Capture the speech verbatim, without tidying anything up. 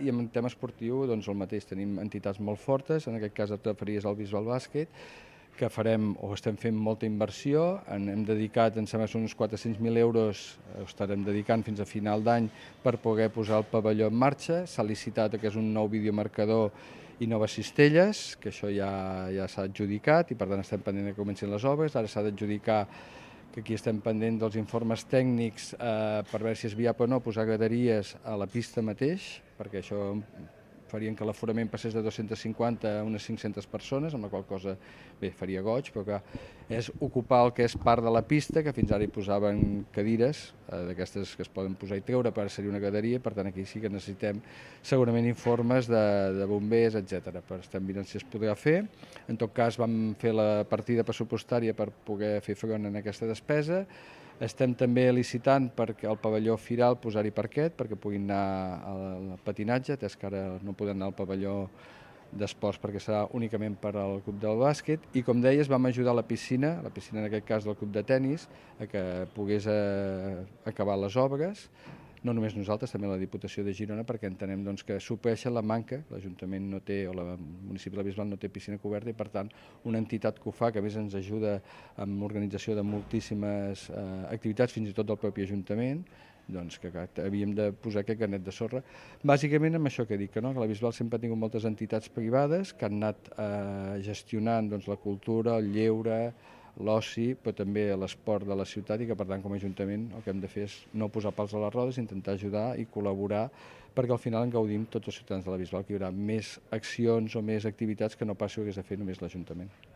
I en tema esportiu, doncs el mateix, tenim entitats molt fortes, en aquest cas et referies al Bisbal Bàsquet, que farem o estem fent molta inversió, en hem dedicat, em sembla que són uns quatre-cents mil euros, ho estarem dedicant fins a final d'any per poder posar el pavelló en marxa. S'ha licitat que és un nou videomarcador i noves cistelles, que això ja, ja s'ha adjudicat i per tant estem pendent que comencin les obres. Ara s'ha d'adjudicar, que aquí estem pendent dels informes tècnics eh, per veure si és viable o no posar graderies a la pista mateix, perquè això farien que l'aforament passés de dos-centes cinquanta a unes cinc-centes persones, amb la qual cosa bé, faria goig, però que és ocupar el que és part de la pista, que fins ara hi posaven cadires, eh, d'aquestes que es poden posar i treure, per seria una graderia, per tant aquí sí que necessitem segurament informes de, de bombers, etcètera. Però estem mirant si es podrà fer. En tot cas vam fer la partida pressupostària per poder fer front en aquesta despesa. Estem també licitant perquè el pavelló Firal posar-hi parquet, perquè puguin anar al patinatge, atès que ara no poden anar al pavelló d'esports perquè serà únicament per al club del bàsquet. I com deies, vam ajudar la piscina, la piscina en aquest cas del club de tennis, a que pogués eh, acabar les obres. No només nosaltres, també la Diputació de Girona, perquè entenem doncs, que supleixen la manca, l'Ajuntament no té, o el municipi de la Bisbal no té piscina coberta i per tant una entitat que ho fa, que a més ens ajuda amb l'organització de moltíssimes eh, activitats, fins i tot del propi Ajuntament, doncs que, que havíem de posar aquest granet de sorra. Bàsicament amb això que dic, que, no? que la Bisbal sempre ha tingut moltes entitats privades que han anat eh, gestionant doncs, la cultura, el lleure, l'oci, però també l'esport de la ciutat i que per tant com a Ajuntament el que hem de fer és no posar pals a les rodes, intentar ajudar i col·laborar perquè al final en gaudim tots els ciutadans de la Bisbal, que hi haurà més accions o més activitats que no pas si ho hagués de fer només l'Ajuntament.